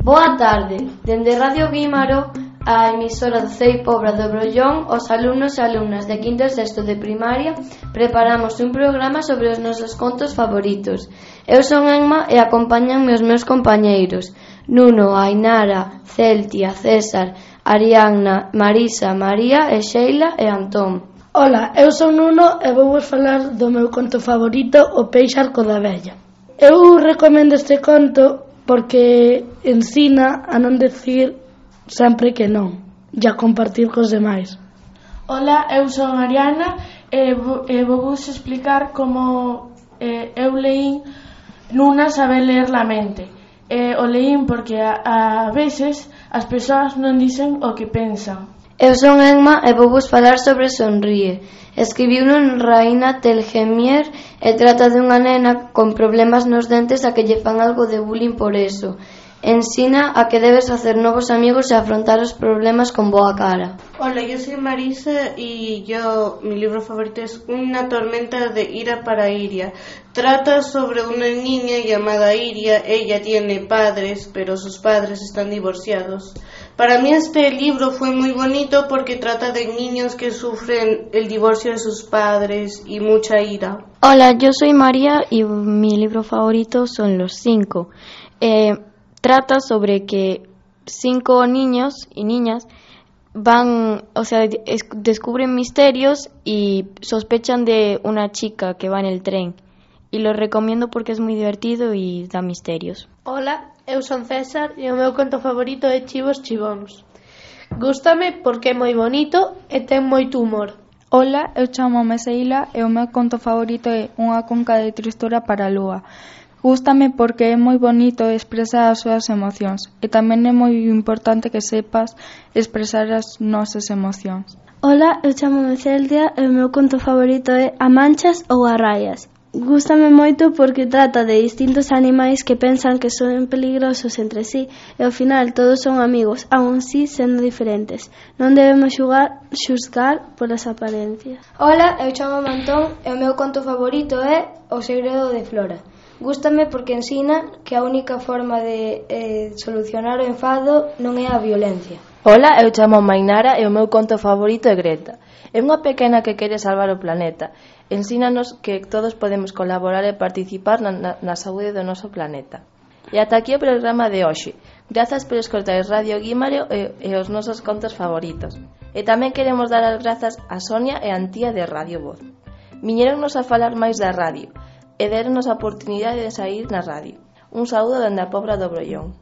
Boa tarde, dende Radio Guímaro, a emisora do CEI Pobra do Brollón, os alumnos e alumnas de quinto e sexto de primaria preparamos un programa sobre os nosos contos favoritos. Eu son Emma e acompáñanme os meus compañeiros Nuno, Ainara, Celtia, César, Arianna, Marisa, María e Sheila e Antón. Ola, eu son Nuno e vou falar do meu conto favorito, O peixe arco da vella. Eu recomendo este conto porque ensina a non decir sempre que non e a compartir cos demais. Ola, eu son Ariana e vos explicar como eu leín Nuna sabe ler la mente. O leín porque a veces as persoas non dicen o que pensan. Eu son Emma e vou vos falar sobre Sonríe. Escribiuno en Raina Telgemeier e trata dunha nena con problemas nos dentes a que lle fan algo de bullying por eso. Ensina a que debes hacer novos amigos y afrontar los problemas con boa cara. Hola, yo soy Marisa y mi libro favorito es Una tormenta de ira para Iria. Trata sobre una niña llamada Iria. Ella tiene padres, pero sus padres están divorciados. Para mí este libro fue muy bonito porque trata de niños que sufren el divorcio de sus padres y mucha ira. Hola, yo soy María y mi libro favorito son Los 5. Trata sobre que 5 niños y niñas descubren misterios y sospechan de una chica que va en el tren. Y lo recomiendo porque es muy divertido y da misterios. Hola, eu son César e o meu conto favorito é Chivos Chibóns. Gústame porque é moi bonito e ten moito humor. Hola, eu chamome Sheila e o meu conto favorito é Unha conca de tristura para a lúa. Gústame porque é moi bonito expresar as súas emocións e tamén é moi importante que sepas expresar as nosas emocións. Hola, eu chamome Celtia e o meu conto favorito é A manchas ou a raias. Gústame moito porque trata de distintos animais que pensan que son peligrosos entre sí e ao final todos son amigos, aún si sendo diferentes. Non debemos xuzgar polas apariencias. Hola, eu chamome Antón e o meu conto favorito é O segredo de Flora. Gústame porque ensina que a única forma de solucionar o enfado non é a violencia. Hola, eu chamo Mainara e o meu conto favorito é Greta. É unha pequena que quere salvar o planeta. Ensínanos que todos podemos colaborar e participar na saúde do noso planeta. E ata aquí o programa de hoxe. Grazas por escoitar Radio Guímaro e os nosos contos favoritos. E tamén queremos dar as grazas a Sonia e a Antía de Radio Voz. Viñéronnos a falar máis da radio e deronnos a oportunidade de sair na radio. Un saúdo dende a Pobra do Brollón.